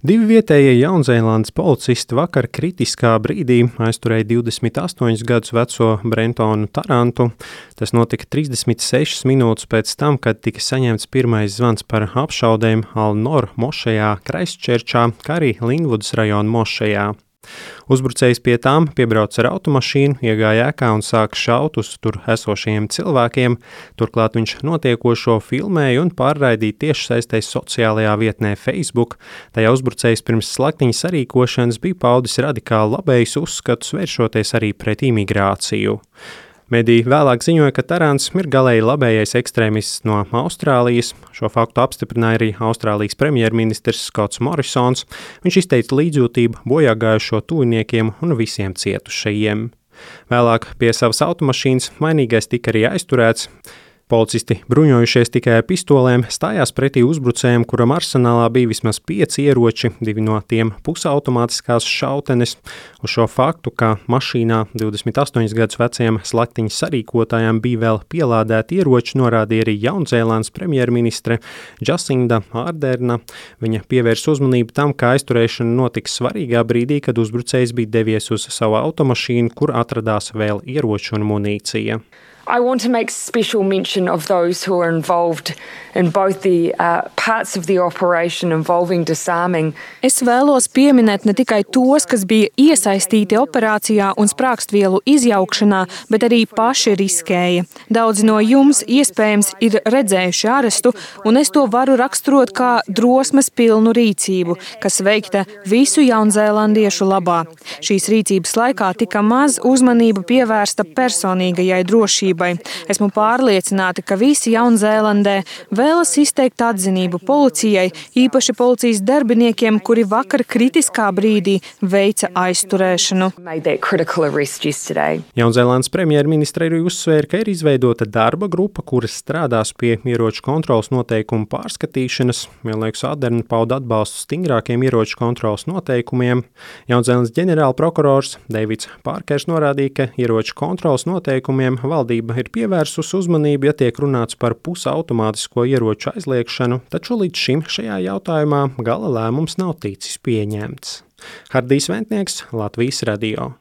Divi vietējie Jaunzēlandes policisti vakar kritiskā brīdī aizturēja 28 gadus veco Brentonu Tarantu. Tas notika 36 minūtes pēc tam, kad tika saņemts pirmais zvans par apšaudēm Al-Nor mošejā Kraistčerčā, kā arī Linvudas rajona mošejā. Uzbrucējs pie tām piebrauca ar automašīnu, iegāja ēkā un sāka šaut uz tur esošajiem cilvēkiem. Turklāt viņš notiekošo filmēja un pārraidīja tiešsaistē sociālajā vietnē Facebook. Tajā uzbrucējs pirms slaktiņa sarīkošanas bija paudis radikāli labējus uzskatus, vēršoties arī pret imigrāciju. Mediji vēlāk ziņoja, ka Tarants ir galēji labējais ekstrēmists no Austrālijas. Šo faktu apstiprināja arī Austrālijas premjerministrs Skots Morisons. Viņš izteica līdzjūtību bojāgājušo tuviniekiem un visiem cietušajiem. Vēlāk pie savas automašīnas vainīgais tika arī aizturēts. Policisti, bruņojušies tikai ar pistolēm, stājās pretī uzbrucējiem, kuram arsenālā bija vismaz 5 ieroči, 2 no tiem pusautomātiskās šautenes. Uz šo faktu, ka mašīnā 28 gadus vecajam slaktiņa sarīkotājām bija vēl pielādēti ieroči, norādīja arī Jaunzēlandes premjerministre Jacinda Arderna. Viņa pievērsa uzmanību tam, ka aizturēšana notika svarīgā brīdī, kad uzbrucējs bija devies uz savu automašīnu, kur atradās vēl ieroči un munīcija. I want to make special mention of those who are involved in both the parts of the operation involving disarming. Es vēlos pieminēt ne tikai tos, kas bija iesaistīti operācijā un sprākstvielu izjaukšanā, bet arī paši riskēja. Daudzi no jums iespējams ir redzējuši arestu, un es to varu raksturot kā drosmes pilnu rīcību, kas veikta visu jaunzēlandiešu labā. Šīs rīcības laikā tika maz uzmanība pievērsta personīgajai drošībai. Esmu pārliecināta, ka visi Jaunzēlandē vēlas izteikt atzinību policijai, īpaši policijas darbiniekiem, kuri vakar kritiskā brīdī veica aizturēšanu. Jaunzēlandes premjerministre arī uzsvēra, ka ir izveidota darba grupa, kuras strādās pie ieroču kontroles noteikumu pārskatīšanas. Vienlaikus Arderna pauda atbalstu stingrākiem ieroču kontroles noteikumiem. Jaunzēlandes ģenerālprokurors Deivids Pārkers norādīja, ka ieroču kontroles noteikumiem valdība ir pievērsus uzmanību, ja tiek runāts par pusautomātisko ieroču aizliekšanu, taču līdz šim šajā jautājumā gala lēmums nav ticis pieņemts. Hardijs Ventnieks, Latvijas radio.